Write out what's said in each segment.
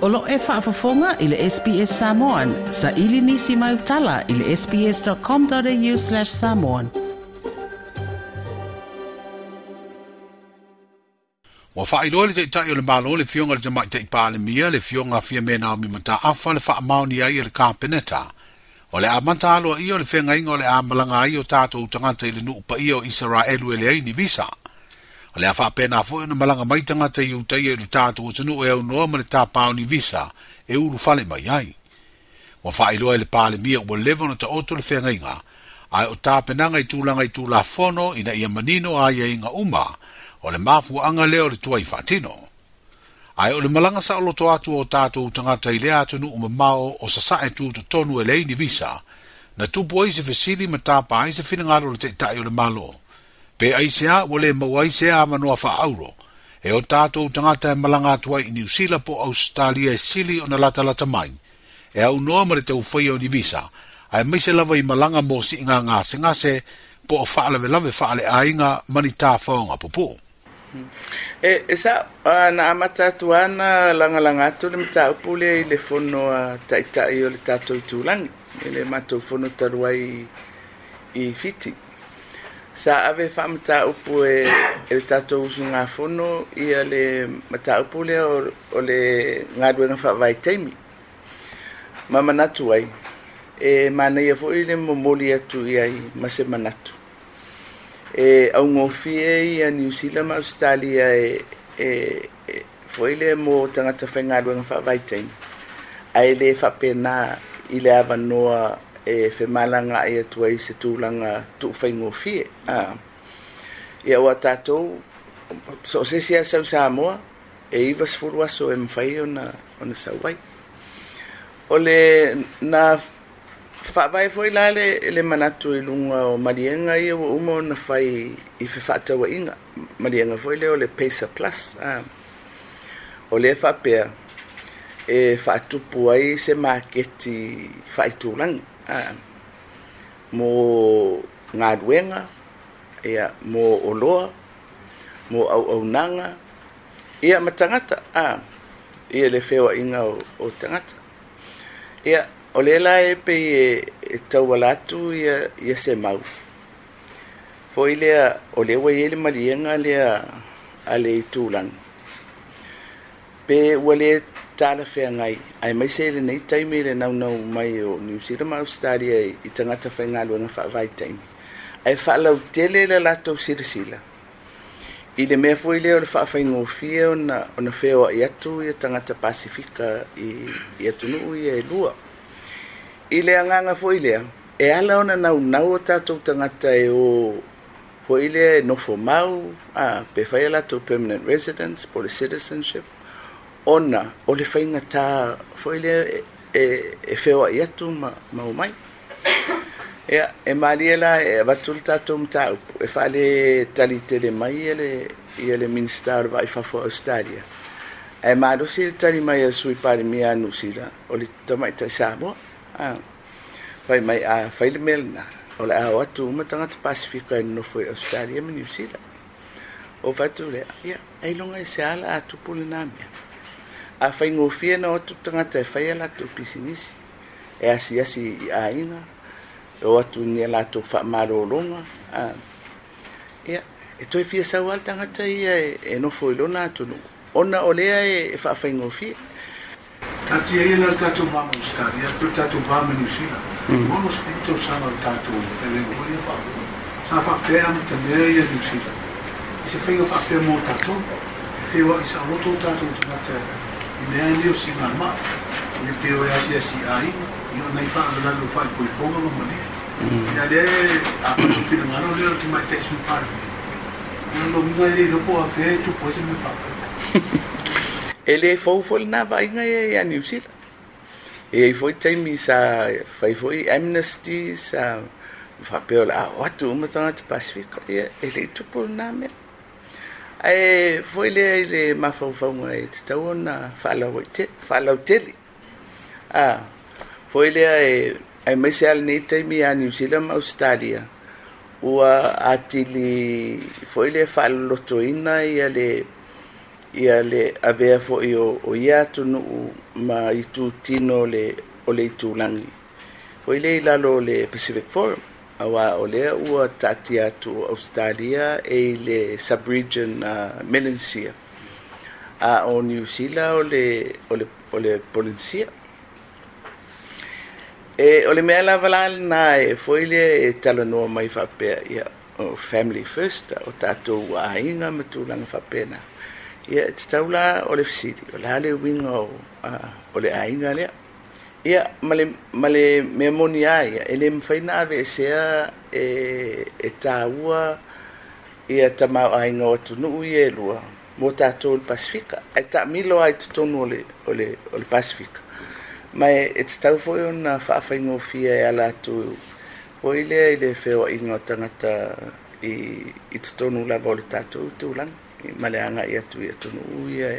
O lo o e faafofoga i le SBS Samoan. Saili nisi mau tala i le sbs.com.au/samoan. Ua faailoa le Taitai o le Malo le Afioga i le Tamaitai Palemia, le Afioga Fiame Naomi Mataafa le faamaoni ai e le Kapeneta. O le amata aloaia o le feagaiga o le a malaga ai o tatou tagata i le nuu paia o Isaraelu e leai ni visa. O le a faapena foi ona malaga mai tagata i Utaia i le tatou atunuu e aunoa ma le tapa o ni visa e ulufale mai ai. Ua faailoa e le Palemia ua leva ona taoto le feagaiga, ae o tapenaga i tulaga i Tulafono ina ia manino aiaiga uma o le mafuaaga lea o le tuai faatino. Ae o le malaga saoloto atu o tatou tagata i lea atunuu mamao o sasae tutotonu e leai ni visa, na tupu ai se fesili ma tapa ai se finagalo o le Taitai o le Malo. Pe aisea ua le maua ai se avanoa faaauro e o tatou tagata e malaga atu ai i Niu Sila po o Ausetalia e sili ona latalata mai, e aunoa ma le taufaia o ni visa, aemaise lava i malaga mo siiga gasegase po o faalavelave faaleaiga ma ni tafaoga pupuu. E sa na amata atu ana lagalaga atu le mataupu lea i le fono a taitai o le tatou itulagi, i le matou fono talu ai i Fiti. Sa ave faamataupu e le tatou usugafono ia le mataupu lea o le galuega faavaitaimi. Ma manatu ai, e manaia foi le momoli atu i ai ma se manatu. E augofie ia Niu Sila ma Australia e foi le mo tagata faigaluega faavaitaimi. Ae le faapena i le avanoa e femalagaai atu ai se tulaga tuufaigofie. Ia ua tatou so o se isi lava sau Samoa e 90 aso e mafai ona sau ai. O le na faavae foi la le manatu i luga o maliega ia ua uma ona fai i fefaatauaiga, maliega foi lea o le Pacer Plus. O lea faapea e faatupu ai se maketi faaitulagi mo galuega, ia, mo oloa, mo auaunaga, ia ma tagata, ia le feoaiga o tagata. Ia, o lea la e pei e tauala atu ia se mau. Foi lea, o lea ua i ai le maliega lea a le itulagi. Pe ua le talafeagai, aemaise lenei taimi le naunau mai o Niu Sila ma Australia i tagata faigaluega faavaitaimi. Ae faalautele le latou silasila i le mea foi lea o le faafaigofie ona feoai atu ia tagata Pasifika i atunuu ia e lua. I le agaga foi lea, e ala ona naunau o tatou tagata e o foi lea e nofo mau, pe fai a latou permanent residence po le citizenship, ona o le faigata foi lea e feoai atu ma omai. Ia, e malie la e avatu le tatou mataupu, e faale tali tele mai ia le Minista o le Va i Fafo o Australia. Ae malosi le tali mai a Sui Palemia a Niu Sila o le tamaitai Samoa. Fai mai a fai le mea lena, o le a o atu uma tagata Pasifika e nonofo i Australia ma Niu Sila. O fatu lea, ia, ailoga i se ala a tupu lena mea. A faigofie na o atu tagata e fai a latou pisinisi, e asiasi i aiga, e o atu ni a latou faamalologa. Ia, e toe fia sau lava le tagata ia e nofo i lona atunuu, ona o lea e faafaigofie. Taatia ia la le tatou va ma Australia, po le tatou va ma Niu Sila. 60 tausaga o le tatou feagaiga foi lea faapea. Sa faapea amatamea ia Niu Sila i se faiga faapea mo tatou. E feoai saoloto o tatou tagata i mea nei o siigamai. Ia pe o e asiasi i aiga, ia o nai faalavelave o faaipoipoga ma malie. Ia lea afai o le finagalo lea o le tamaitai Sui Palemia, ia o lona uiga e le iloa po o afea e tupu ai se mea faapea. E le fou foi lena vaaiga ia ia Niu Sila. E i ai foi taimi sa fai foi amnesty, sa faapea o le a o atu uma tagata Pasifika, ia e le i tupu lena mea. Ae foi lea i le mafaufauga e tatau ona faalautele. Foi lea e aemaise lava lenei taimi ia Niu Sila ma Australia, ua atili foi lea faalolotoina ia Ia le avea fo'i o ia atunuu ma itutino o le itulagi foi lea i lalo o le Pacific Forum, auā o lea ua taatia atu o Ausetalia e i le sub-region Melanesia, a o Niu Sila o le Polenesia. E o le mea lava la lena e foi lea e talanoa mai faapea, ia, o family first, o tatou aiga ma tulaga faapena. Ia, e tatau la o le fesili, o le a le uiga o le aiga lea? Ia, ma le mea moni a ia, e le mafai na aveesea e tāua ia tamaoaiga o atunuu ia e lua mo tatou le Pasifika, ae taamilo lava i totonu o le Pasifika. Ma e tatau foi ona faafaigofie e ala atu foi lea i le feoaiga o tagata i totonu lava o le tatou tulaga ma le agai atu i atunuu ia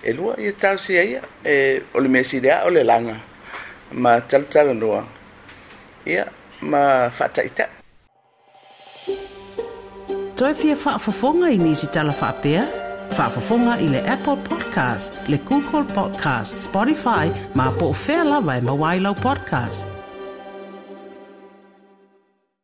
e lua. Ia talosia ia e, o le mea sili lava o le laga ma talatalanoa, ia, ma faataitai. Toe fia faafofoga i nisi tala faapea? Faafofoga i le Apple Podcast, le Google Podcast, Spotify, ma po o fea lava e maua ai lau podcast.